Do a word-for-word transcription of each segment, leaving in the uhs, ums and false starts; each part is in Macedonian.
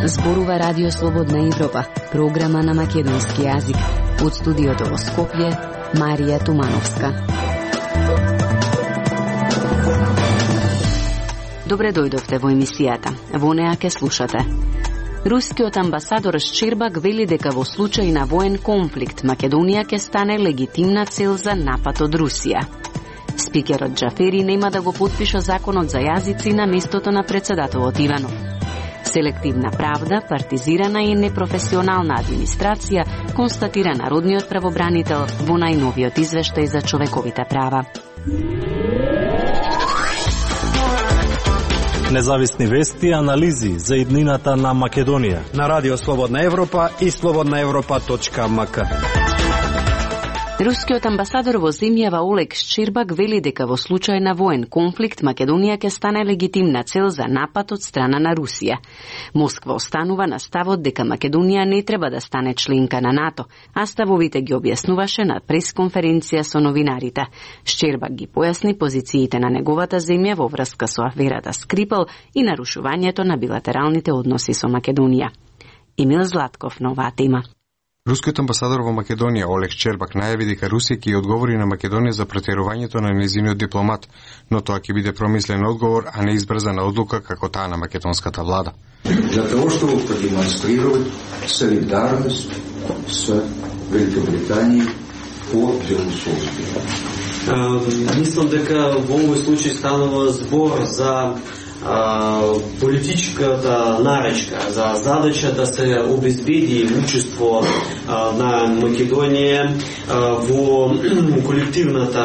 Зборува Радио Слободна Европа, програма на македонски јазик. Од студиото во Скопје, Марија Тумановска. Добре дојдовте во емисијата. Во неа ке слушате. Рускиот амбасадор Щербак вели дека во случај на воен конфликт Македонија ке стане легитимна цел за напад од Русија. Спикерот Џафери нема да го потпиша законот за јазици на местото на председателот Иванов. Селективна правда, партизирана и непрофесионална администрација, констатира народниот правобранител во најновиот извештај за човековите права. Независни вести и анализи за иднината на Македонија на Радио Слободна Европа и слободна европа точка ем ка. Рускиот амбасадор во земјава Олег Щербак вели дека во случај на воен конфликт Македонија ќе стане легитимна цел за напад од страна на Русија. Москва останува на ставот дека Македонија не треба да стане членка на НАТО, а ставовите ги објаснуваше на пресконференција со новинарите. Щербак ги појасни позициите на неговата земја во врска со аферата Скрипал и нарушувањето на билатералните односи со Македонија. Емил Златков на оваа тема. Рускиот амбасадор во Македонија Олег Щербак најави дека Русија ќе одговори на Македонија за претерувањето на нејзиниот дипломат, но тоа ќе биде промислен одговор, а не избрзана одлука како таа на македонската влада. Для того, чтобы продемонстрировать солидарност с Великобританией по делосообществу. Мислам дека во овој случај станува збор за политичката наречка, за задача да се обезбеди учество на Македонија во колективната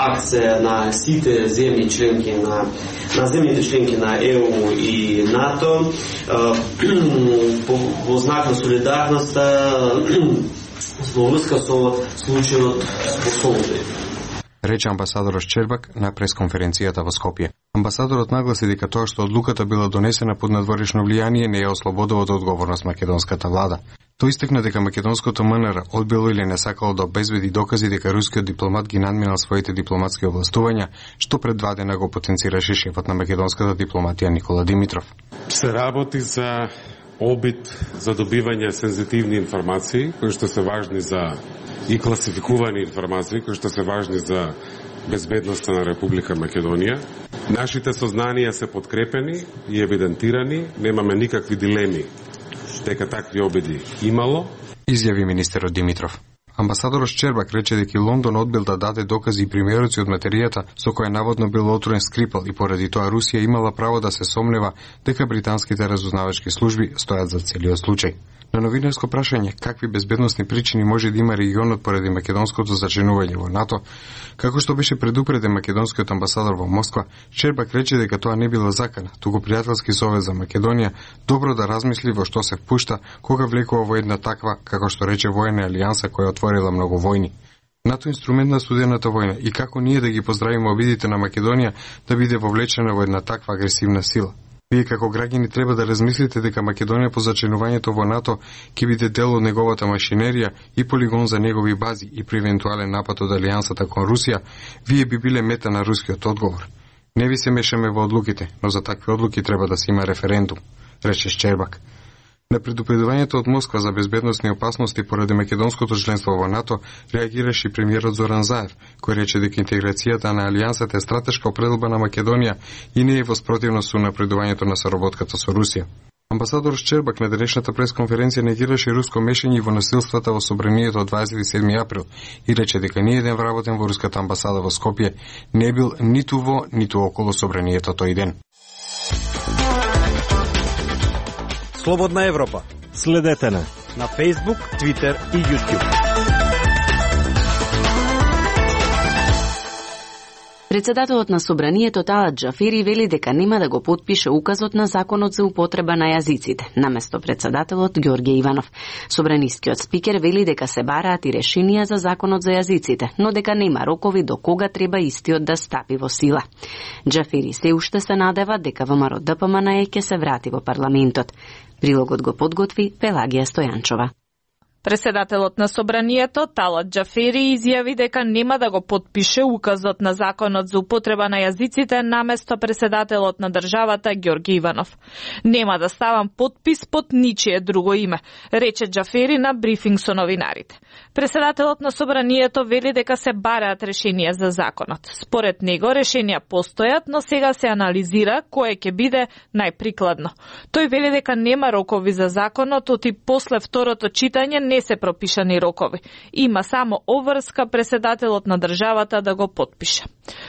акција на сите земји членки на на земјите членки на Е У и НАТО во знак на солидарноста во врска со случајот во Солуди, рече амбасадорот Щербак на пресконференцијата во Скопје. Амбасадорот нагласи дека тоа што одлуката била донесена под надворешно влијание не ја ослободува од одговорност македонската влада. Тој истакна дека македонското М Н Р одбило или не сакало да обезбеди докази дека рускиот дипломат ги надминал своите дипломатски овластувања, што пред два дена го потенцираше шефот на македонската дипломатија Никола Димитров. Се работи за обид за добивање сензитивни информации, кои што се важни за и класификувани информации, кои што се важни за безбедноста на Република Македонија. Нашите сознанија се подкрепени и евидентирани, немаме никакви дилеми дека такви обиди имало, изјави министерот Димитров. Амбасадорот Щербак рече дека Лондон одбил да даде докази и примероци од материјата со која наводно бил отворен Скрипал и поради тоа Русија имала право да се сомнева дека британските разузнавачки служби стојат за целиот случај. На новинарско прашање какви безбедносни причини може да има регионот поради македонското зачленување во НАТО, како што беше предупреден македонскиот амбасадор во Москва, Щербак рече дека тоа не било закана, туку пријателски совет за Македонија добро да размисли во што се впушта кога влекува во една таква, како што рече, воена алијанса која отворила многу војни. НАТО инструмент на студената војна и како ние да ги поздравиме обидите на Македонија да биде вовлечена во една таква агресивна сила. Вие како граѓани треба да размислите дека Македонија по зачленувањето во НАТО ќе биде дел од неговата машинерија и полигон за негови бази и при евентуален напад од алијансата кон Русија, вие би биле мета на рускиот одговор. Не ви се мешаме во одлуките, но за такви одлуки треба да се има референдум, рече Щербак. На предупредувањето од Москва за безбедносни опасности поради македонското членство во НАТО реагираше и премиерот Зоран Заев, кој рече дека интеграцијата на алијансата е стратешка определба на Македонија и не е во спротивност со напредувањето на соработката со Русија. Амбасадор Щербак на денешната пресконференција негираше руско мешање во насилствата во собранието од дваесет и седми април и рече дека ниеден вработен во руската амбасада во Скопје не бил ниту во, ниту околу собранието тој ден. Слободна Европа. Следете на на Facebook, Twitter и YouTube. Председателот на собранието Талат Џафери вели дека нема да го потпише указот на законот за употреба на јазиците, наместо председателот Ѓорѓе Иванов. Собранискиот спикер вели дека се бараат и решенија за законот за јазиците, но дека нема рокови до кога треба истиот да стапи во сила. Џафери се уште се надева дека ВМРО Д П М Н Е ќе се врати во парламентот. Прилогот го подготви Пелагија Стојанчова. Преседателот на Собранието Талат Џафери изјави дека нема да го потпише указот на законот за употреба на јазиците наместо преседателот на државата Ѓорги Иванов. Нема да ставам потпис под ничие друго име, рече Џафери на брифинг со новинарите. Преседателот на Собранието вели дека се бараат решенија за законот. Според него решенија постојат, но сега се анализира кое ќе биде најприкладно. Тој вели дека нема рокови за законот, оти после второто читање не се пропишани рокови. Има само обврска преседателот на државата да го потпише.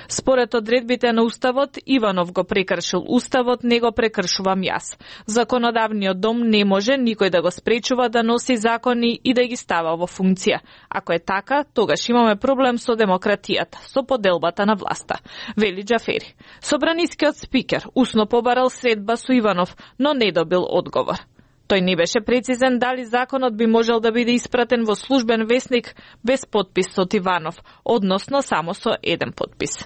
Според одредбите на Уставот, Иванов го прекршил Уставот, не го прекршувам јас. Законодавниот дом не може никој да го спречува да носи закони и да ги става во функција. Ако е така, тогаш имаме проблем со демократијата, со поделбата на власта, вели Џафери. Собранискиот спикер усно побарал средба со Иванов, но не добил одговор. Тој не беше прецизен дали законот би можел да биде испратен во службен весник без подпис од Иванов, односно само со еден подпис.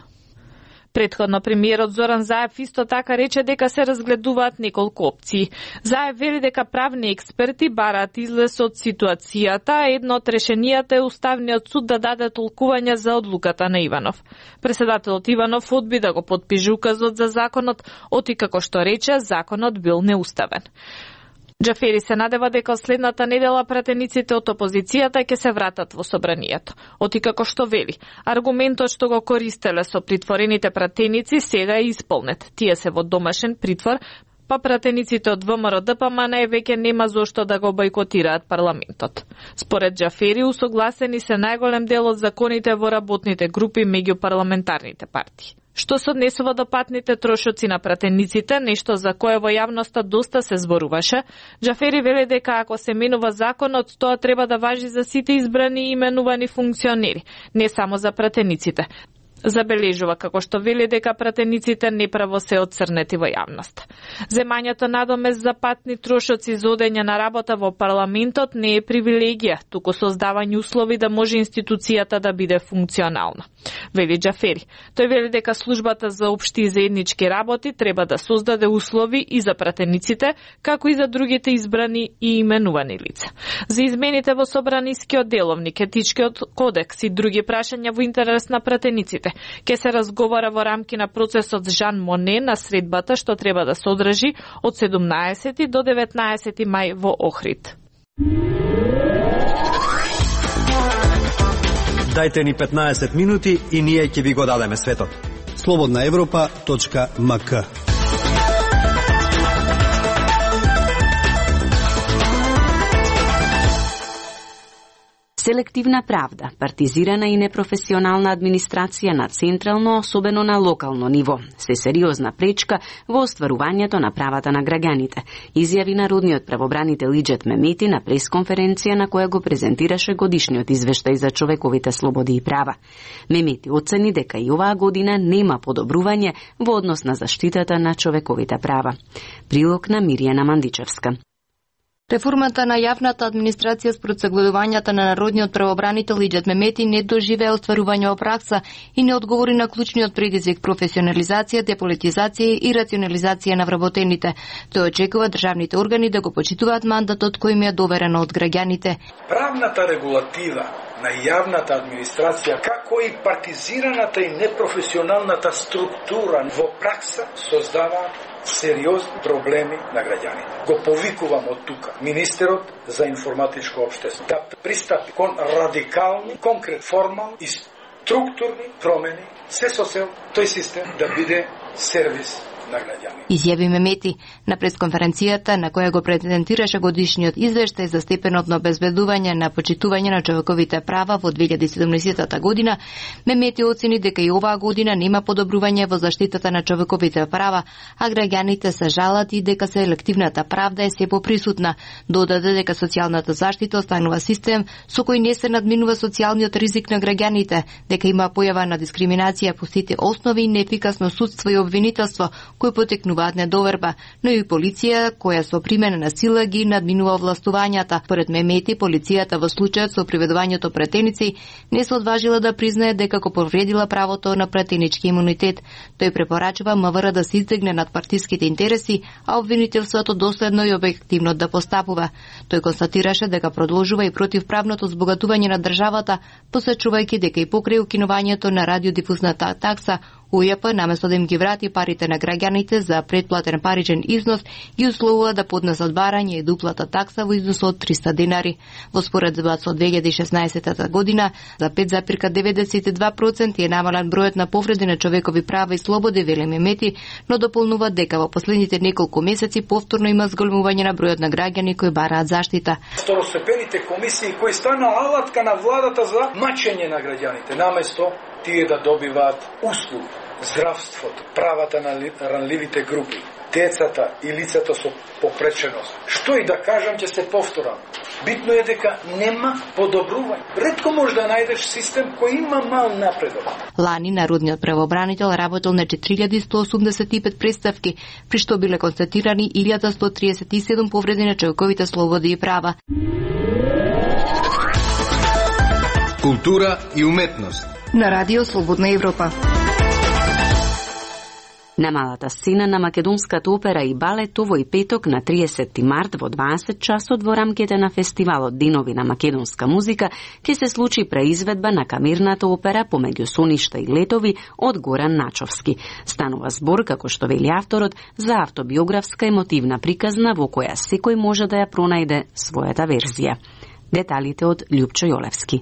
Претходно премиерот Зоран Заев исто така рече дека се разгледуваат неколку опции. Заев вели дека правни експерти бараат излез од ситуацијата, а едно од решенијата е Уставниот суд да даде толкување за одлуката на Иванов. Преседателот Иванов одби да го потпише указот за законот, оти како што рече, законот бил неуставен. Џафери се надева дека следната недела пратениците од опозицијата ќе се вратат во Собранието. Оти како што вели, аргументот што го користеле со притворените пратеници сега е исполнет. Тие се во домашен притвор, па пратениците од ВМРО Д П М Н веќе нема зошто да го бојкотираат парламентот. Според Џафери, усогласени се најголем дел од законите во работните групи меѓу парламентарните партии. Што се однесува до патните трошоци на пратениците, нешто за кое во јавноста доста се зборуваше, Џафери вели дека ако се менува законот, тоа треба да важи за сите избрани и именувани функционери, не само за пратениците. Забележува како што вели дека пратениците неправо се отцрнети во јавност. Земањето надомест за патни трошоци за одење на работа во парламентот не е привилегија, туку создавање услови да може институцијата да биде функционална, вели Џафери. Тој вели дека службата за општи и заеднички работи треба да создаде услови и за пратениците, како и за другите избрани и именувани лица. За измените во Собранискиот деловник, етичкиот кодекс и други прашања во интерес на пратениците ке се разговара во рамки на процесот Жан Моне на средбата што треба да се одржи од седумнаесети до деветнаесети мај во Охрид. Дајте ни петнаесет минути и ние ќе ви го дадеме светот. слободна европа точка м к. Селективна правда, партизирана и непрофесионална администрација на централно, особено на локално ниво, се сериозна пречка во остварувањето на правата на граѓаните, изјави народниот правобранител Иџет Мемети на пресконференција на која го презентираше годишниот извештај за човековите слободи и права. Мемети оцени дека и оваа година нема подобрување во однос на заштитата на човековите права. Прилог на Миријана Мандичевска. Реформата на јавната администрација според согледувањата на народниот правобранител Иџет Мемети не доживеа остварување во пракса и не одговори на клучниот предизвик професионализација, деполитизација и рационализација на вработените. Тој очекува државните органи да го почитуваат мандатот кој им е доверено од граѓаните. Правната регулатива на јавната администрација, како и партизираната и непрофесионалната структура во пракса создава сериозни проблеми на граѓаните. Го повикувам од тука министерот за информатичко општество да пристапи кон радикални, конкрет, формални и структурни промени, се со цел тој систем да биде сервис на граѓани. Изјави Мемети на пресконференцијата на која го презентираше годишниот извештај за степенот на обезбедување на почитување на човековите права во две илјади и седумнаесета година. Мемети оцени дека и оваа година нема подобрување во заштитата на човековите права, а граѓаните се жалат и дека селективната правда е се поприсутна. Додаде дека социјалната заштита останува систем со кој не се надминува социјалниот ризик на граѓаните, дека има појава на дискриминација по сите основи и неефикасно судство и обвинителство, кои потекнуваат недоверба, но и полиција која со примена на сила ги надминува властувањата. Поред Мемети, полицијата во случајот со приведувањето претеници не се одважила да признае дека го повредила правото на претенички имунитет. Тој препорачува МВР да се издигне над партиските интереси, а обвинителството доследно и објективно да постапува. Тој констатираше дека продолжува и противправното збогатување на државата, посочувајќи дека и покрај укинувањето на радиодифузната такса, У Е П, наместо да им ги врати парите на граѓаните за предплатен паричен износ, ги условува да поднесат барање и дуплата такса во износ од триста денари. Во споредба со две илјади и шеснаесетта година, за пет зарез деветдесет и два проценти е намален бројот на повреди на човекови права и слободи, вели Мемети, но дополнува дека во последните неколку месеци повторно има зголемување на бројот на граѓани кои бараат заштита. Второстепените комисии кои стана алатка на владата за мачење на граѓаните, наместо тие да добиваат услуги, здравството, правата на ранливите групи, децата и лицата со попреченост. Што и да кажам, ќе се повторам. Битно е дека нема подобрување. Ретко може да најдеш систем кој има мал напредок. Лани народниот правобранител работел на четири илјади сто осумдесет и пет представки, при што биле констатирани илјада сто триесет и седум повреди на човековите слободи и права. Култура и уметност. На радио Слободна Европа. На малата сцена на македонската опера и балет овој петок на триесетти март во дваесет часот во рамките на фестивалот Денови на македонска музика ќе се случи преизведба на камерната опера Помеѓу соништа и летови од Горан Начовски. Станува збор, како што вели авторот, за автобиографска емотивна приказна во која секој може да ја пронајде својата верзија. Деталите од Љупчо Јолевски.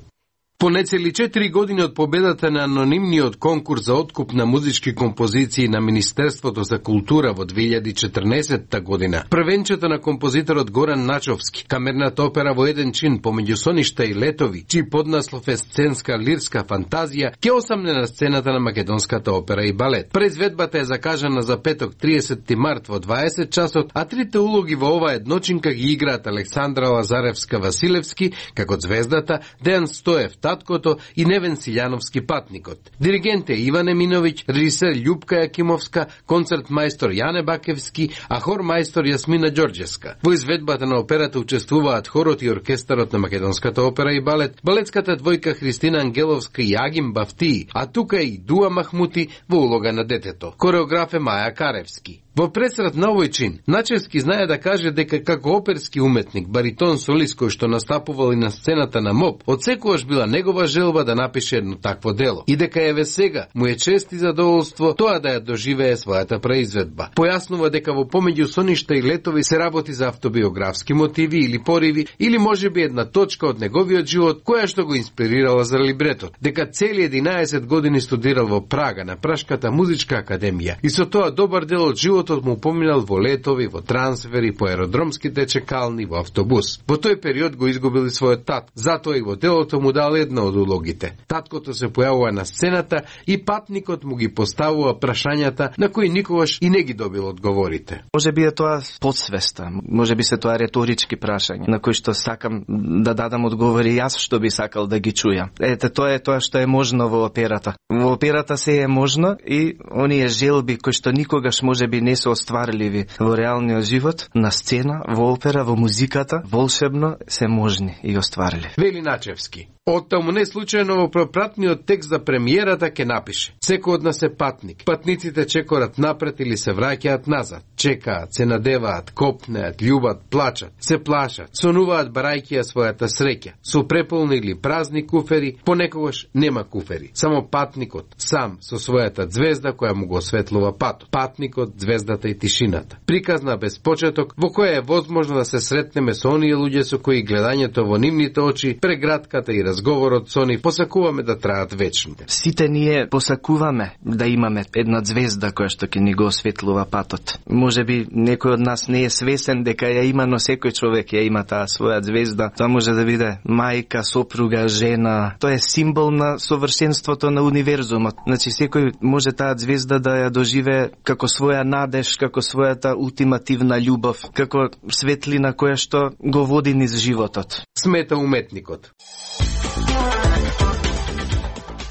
По нецели четири години од победата на анонимниот конкурс за откуп на музички композиции на Министерството за култура во две илјади и четрнаесетта година, првенчето на композиторот Горан Начовски, камерната опера во еден чин Помеѓу соништа и летови, чиј поднаслов е сценска лирска фантазија, ќе осамне на сцената на македонската опера и балет. Преизведбата е закажана за петок триесетти март во дваесет часот, а трите улоги во оваа едночинка ги играат Александра Лазаревска-Василевски како звездата, Дејан Стоев таткото и Невен Силјановски патникот. Диригент е Иван Еминовиќ, режисер Љупка Јакимовска, концерт мајстор Јане Бакевски, а хор мајстор Јасмина Ѓорѓевска. Во изведбата на операта учествуваат хорот и оркестарот на македонската опера и балет, балетската двојка Христина Ангеловска и Агим Бафтии, а тука е и Дуа Махмути во улога на детето. Кореограф е Маја Каревски. Во пресрет на овој чин, Начевски знае да каже дека како оперски уметник, баритон солист кој што настапувал и на сцената на МОП, одсекогаш била негова желба да напише едно такво дело. И дека еве сега му е чест и задоволство тоа да ја доживее својата преизведба. Појаснува дека во Помеѓу соништа и летови се работи за автобиографски мотиви или пориви, или можеби една точка од неговиот живот која што го инспирирала за либретот. Дека цели единаесет години студирал во Прага на Прашката музичка академија и со тоа добар дел од животот му поминал во летови, во трансфери, по аеродромските чекални, во автобус. Во тој период го изгубил и својот тат, затоа и во делото му дал една од улогите. Таткото се појавува на сцената и патникот му ги поставува прашањата на кои никогаш и не ги добил одговорите. Може би е тоа подсвеста, може би се тоа реторички прашања, на кои што сакам да дадам одговори јас што би сакал да ги чујам. Ете, тоа е тоа што е можно во операта. Во операта се е можно и оние желби кои што никогаш може би не се остварливи во реалниот живот, на сцена, во опера, во музиката, волшебно се можни и остварливи. Вели Начевски. Оттаму не случајно во пропратниот текст за премиерата ке напише: секој од нас е патник. Патниците чекорат напред или се враќаат назад. Чекаат, се надеваат, копнеат, љубат, плачат, се плашат, сонуваат барајќи ја својата среќа. Со преполни или празни куфери, понекогаш нема куфери. Само патникот, сам, со својата звезда која му го осветлува патот. Патникот, звездата и тишината. Приказна без почеток, во која е возможно да се сретнеме со оние луѓе со кои гледањето во нивните очи, прегратката и разговорот со нив посакуваме да траат вечно. Сите ние посакуваме да имаме една звезда која што ќе ни го осветлува патот. Може би некој од нас не е свесен дека ја има, но секој човек ја има таа своја звезда. Тоа може да биде мајка, сопруга, жена. Тоа е символ на совршенството на универзумот. Значи секој може таа звезда да ја доживее како своја надеж, како својата ултимативна љубов, како светлина која што го води низ животот. Смета уметникот.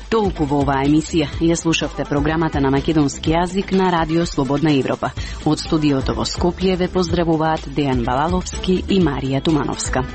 Толку во оваа емисија. Ја слушавте програмата на македонски јазик на Радио Слободна Европа. Од студиото во Скопје ве поздравуваат Дејан Балаловски и Марија Тумановска.